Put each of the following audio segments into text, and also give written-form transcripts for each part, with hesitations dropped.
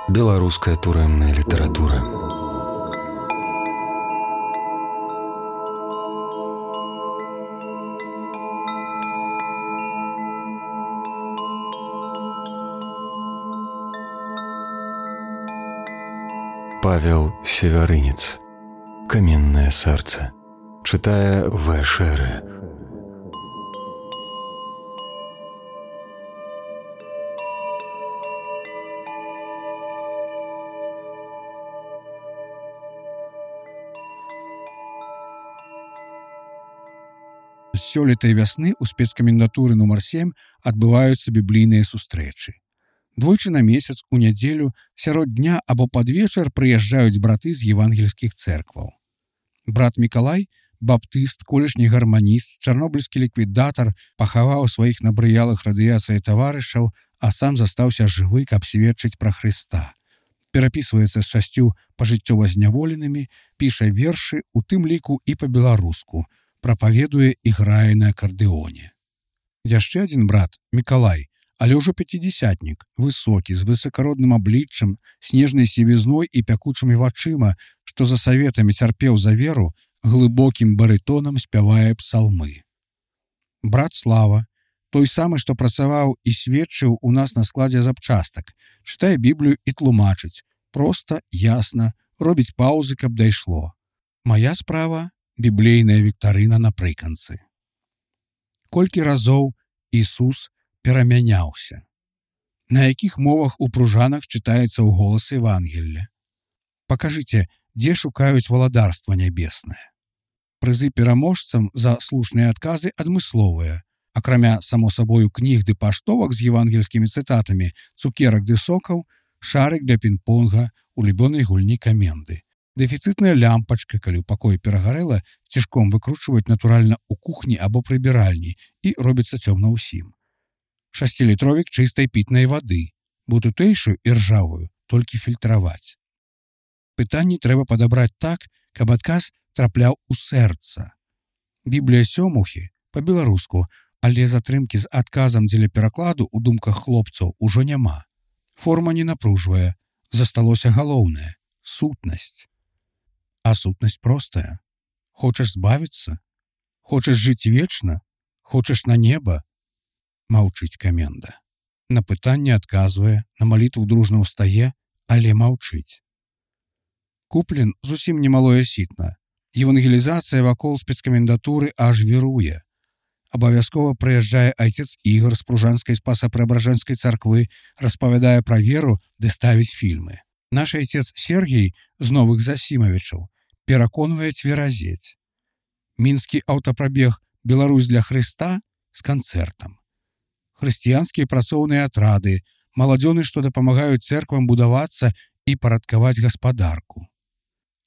Беларуская турэмная літаратура. Павел Севярынец. «Каменное сердце». Читая В. Шере. З сёлетай вясны ў спецкамендатуры нумар 7 адбываюцца біблійныя сустрэчы. Двойчы на месяц у нядзелю сярод дня або пад вечар прыязджаюць браты з евангельскіх цэркваў. Брат Мікалай, баптыст, колішні гарманіст, чарнобыльскі ліквідатар, пахаваў сваіх набрыялых радыяцыяй таварышаў, а сам застаўся жывы, каб сведчыць пра Хрыста. Перапісваецца з 6 пажыццёва зняволенымі, піша вершы, у тым ліку і па-беларуску, прапаведуе і грае на акардэоне. Яшчэ адзін брат, Мікалай, але ўжо пяцідзясятнік, высокі, з высакародным абліччам, снежнай сівізной і пякучымі вачыма, што за саветамі цярпеў за веру, глыбокім барытонам спявае псалмы. Брат Слава, той самы, што працаваў і сведчыў у нас на складзе запчастак, чытае Біблію і тлумачыць, проста, ясна, робіць паўзы, каб дайшло. Мая справа — біблейная віктарына напрыканцы. Колькі разоў Ісус перамяняўся? На якіх мовах у пружанах чытаецца ў голас Евангелля? Пакажыце, дзе шукаюць валадарства нябеснае. Прызы пераможцам за слушныя адказы адмысловыя. Акрамя, само сабою, кніг ды паштовак з евангельскімі цытатамі, цукерак ды сокаў, шарык для пінг-понга, улюбёнай гульні каменды. Дэфіцытная лямпачка, калі ў пакоі перагарэла, цішком выкручваюць натуральна ў кухні або прыбіральні і робіцца цёмна ўсім. 6-літровік чыстай пітнай вады, бо тутэйшую і ржавую толькі фільтраваць. Пытанні трэба падабраць так, каб адказ трапляў у сэрца. Біблія сёмухі па-беларуску, але затрымкі з адказам дзеля перакладу ў думках хлопцаў ужо няма. Форма не напружвае, засталося галоўнае — сутнасць. А сутнасць простая. Хочаш збавіцца? Хочаш жыць вечна? Хочаш на неба? Маўчыць каменда. На пытанне адказвае, на малітву дружна ўстае, але маўчыць. Куплен зусім немалое сітна. Евангелізацыя вакол спецкамендатуры аж віруе. Абавязкова прыязджае айцец Ігор з пружанскай спаса-преабражэнскай царквы, распавядае пра веру ды ставіць фільмы. Наш айцец Сергій з Новых Засімавічаў пераконвае цверазець. Мінскі аўтапрабег «Беларусь для Хрыста» з канцэртам. Хрысціянскія працоўныя атрады, маладзёны, што дапамагаюць цэрквам будавацца і парадкаваць гаспадарку.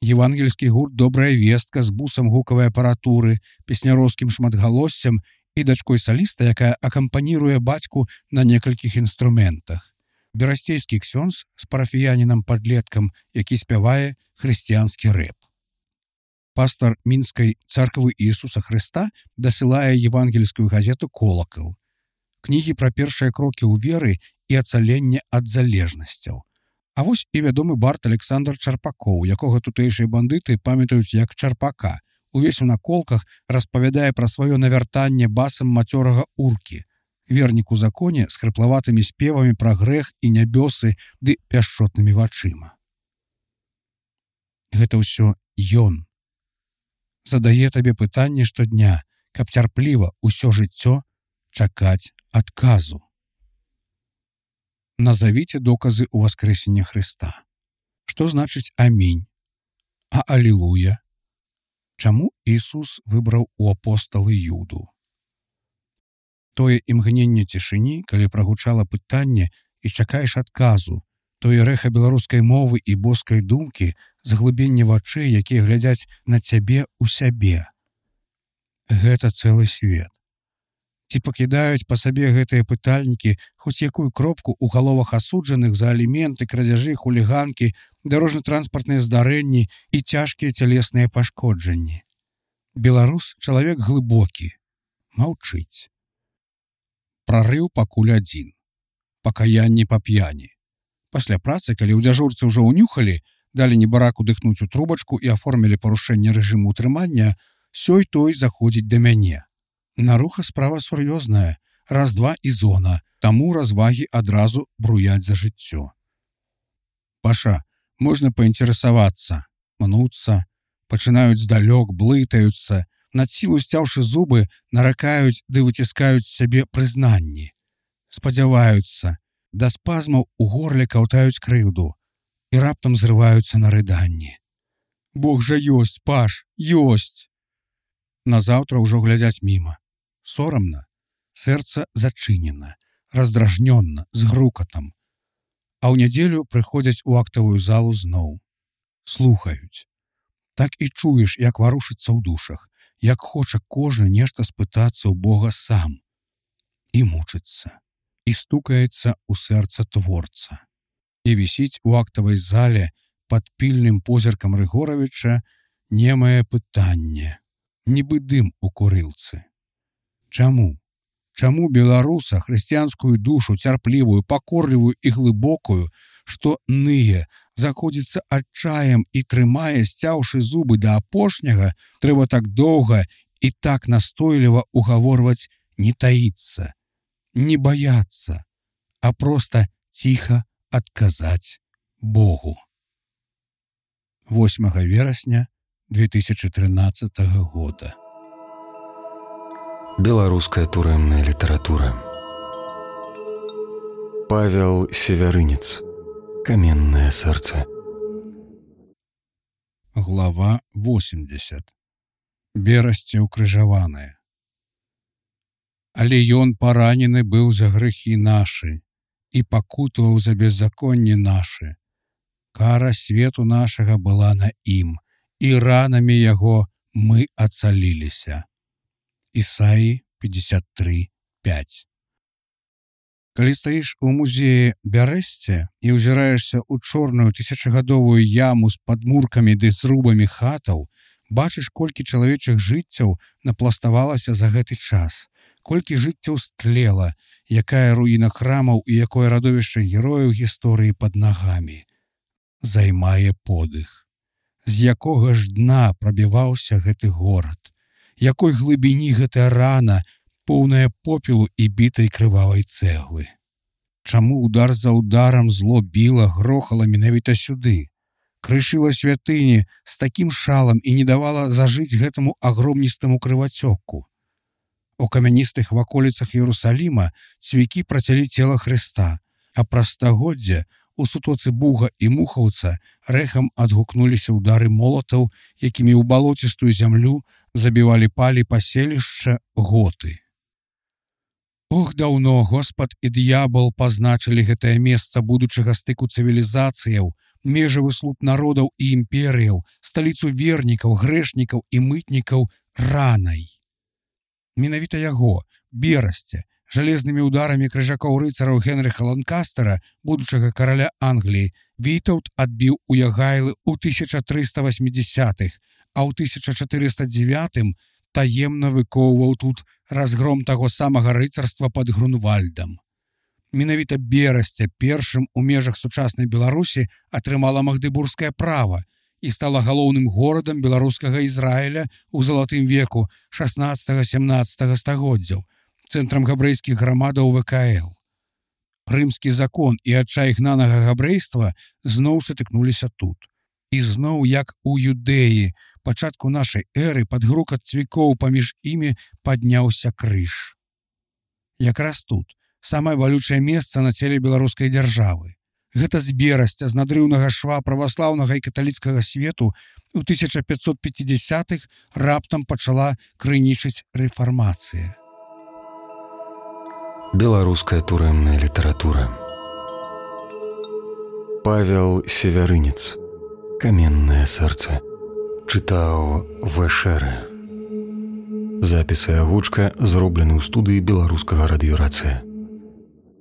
Евангельскі гурт «Добрая вестка» з бусам гукавай апаратуры, песняроўскім шматгалоссям і дачкой саліста, якая акампаніруе бацьку на некалькіх інструментах. Берасцейскі ксёндз з парафіянінам-падлеткам, які спявае хрысціянскі рэп. Пастар мінскай царквы Ісуса Хрыста дасылае евангельскую газету «Колакал». Кнігі пра першыя крокі ў веры і ацаленне ад залежнасцяў. А вось і вядомы бард Александр Чарпакоў, якога тутэйшыя бандыты памятаюць як Чарпака. Увесь у наколках распавядае пра сваё навяртанне басам мацёрага уркі, вернік у законе з хрыплаватымі спевамі пра грэх і нябёсы ды пяшчотнымі вачыма. Гэта ўсё ён. Задае табе пытанне штодня, каб цярпліва ўсё жыццё чакаць адказу. Назавіце доказы ў воскресення Хрыста. Што значыць амінь? А алілуя? Чаму Ісус выбраў у апосталы Юду? Тое імгненне цішыні, калі прагучала пытанне і чакаеш адказу, тое рэха беларускай мовы і боскай думкі, заглыбенне вачэй, якія глядзяць на цябе ў сябе. Гэта цэлы свет. Ці пакідаюць па сабе гэтыя пытальнікі хоць якую кропку ў галовах асуджаных за аліменты, крадзяжы, хуліганкі, дарожна-транспартныя здарэнні і цяжкія цялесныя пашкоджанні? Беларус — чалавек глыбокі, маўчыць. Прарыў пакуль адзін. Пакаянне па п'яні. Пасля працы, калі ў дзяжурцы ўжо ўнюхалі, далі небараку дыхнуць у трубачку і аформілі парушэнне рэжыму ўтрымання, сёй той заходзіць да мяне. Наруха справа сур'ёзная, раз-два і зона, таму развагі адразу бруяць за жыццё. Паша, можна паінтарэсавацца, мнуцца, пачынаюць здалёк, блытаюцца, над сілу сцяўшы зубы, наракаюць ды выціскаюць з сябе прызнанні. Спадзяваюцца, да спазмаў у горле каўтаюць крыўду і раптам зрываюцца на рыданні. Бог жа ёсць, Паш, ёсць! Назаўтра ўжо глядзяць міма. Сорамна, сэрца зачынена, раздражнённа, з грукатам. А ў нядзелю прыходзяць у актавую залу зноў. Слухаюць. Так і чуеш, як варушыцца ў душах, як хоча кожны нешта спытацца ў Бога сам. І мучыцца. І стукаецца ў сэрца творца. І вісіць у актавай зале пад пільным позіркам Рыгоравіча немае пытанне, нібы дым у курылцы. Чаму? Чаму беларуса, хрысціянскую душу, цярплівую, пакорлівую і глыбокую, што ные, заходзіцца адчаем і трымае, сцяўшы зубы да апошняга, трэба так доўга і так настойліва угаворваць не таіцца, не баяцца, а проста ціха адказаць Богу. 8 верасня 2013 года. Беларуская турэмная літаратура. Павел Севярынец. Каменное сэрца. Глава 80. Берасце укрыжаванае. Але ён паранены быў за грэхі нашы і пакутаваў за беззаконні нашы. Кара свету нашага была на ім, і ранамі яго мы ацаліліся. Ісаі 53:5. Калі стаіш у музеі Бярэсце і ўзіраешся ў чорную тысячагадовую яму з падмуркамі ды зрубамі хатаў, бачыш, колькі чалавечых жыццяў напластавалася за гэты час, колькі жыццяў стлела, якая руіна храмаў і якое радовішча герояў гісторыі пад нагамі. Займае подых. З якога ж дна прабіваўся гэты горад? Якой глыбіні гэтая рана, поўная попелу і бітай крывавай цэглы? Чаму удар за ударам зло біла, грохала менавіта сюды? Крышыла святыні з такім шалам і не давала зажыць гэтаму агромністаму крывацёку. У камяністых ваколіцах Іерусаліма цвікі працялі цела Хрыста, а праз стагоддзя у сутоцы Буга і Мухаўца рэхам адгукнуліся ўдары молатаў, якімі ў балоцістую зямлю забівалі палі паселішча готы. Ох, даўно Господ і д'ябал пазначылі гэтае месца будучага стыку цывілізацыяў, межавы слуп народаў і імперыяў, сталіцу вернікаў, грэшнікаў і мытнікаў ранай. Менавіта яго, Берасце, жалезнымі ўдарамі крыжакоў-рыцараў Генрыха Ланкастера, будучага караля Англіі, Вітаўт адбіў у Ягайлы ў 1380-х, а ў 1409-м таемна выкоўваў тут разгром таго самага рыцарства пад Грунвальдам. Менавіта Берасце першым у межах сучаснай Беларусі атрымала магдыбургскае права і стала галоўным горадам беларускага Ізраіля ў залатым веку 16-17 стагоддзяў, цэнтрам габрэйскіх грамадаў ВКЛ. Рымскі закон і адчай гнанага габрэйства зноў сутыкнуліся тут. І зноў, як у Юдэі, пачатку нашай эры пад грукат цвікоў паміж імі падняўся крыж. Якраз тут самае балючае месца на целе беларускай дзяржавы. Гэта з Берасця, з надрыўнага шва праваслаўнага і каталіцкага свету у 1550-х раптам пачала крынічыць рэфармацыя. Беларуская турэмная літаратура. Павел Севярынец. Каменное сэрца. Чытаў Вэшэрэ. Запіс і агучка зроблены ў студыі беларускага радыёрацыя.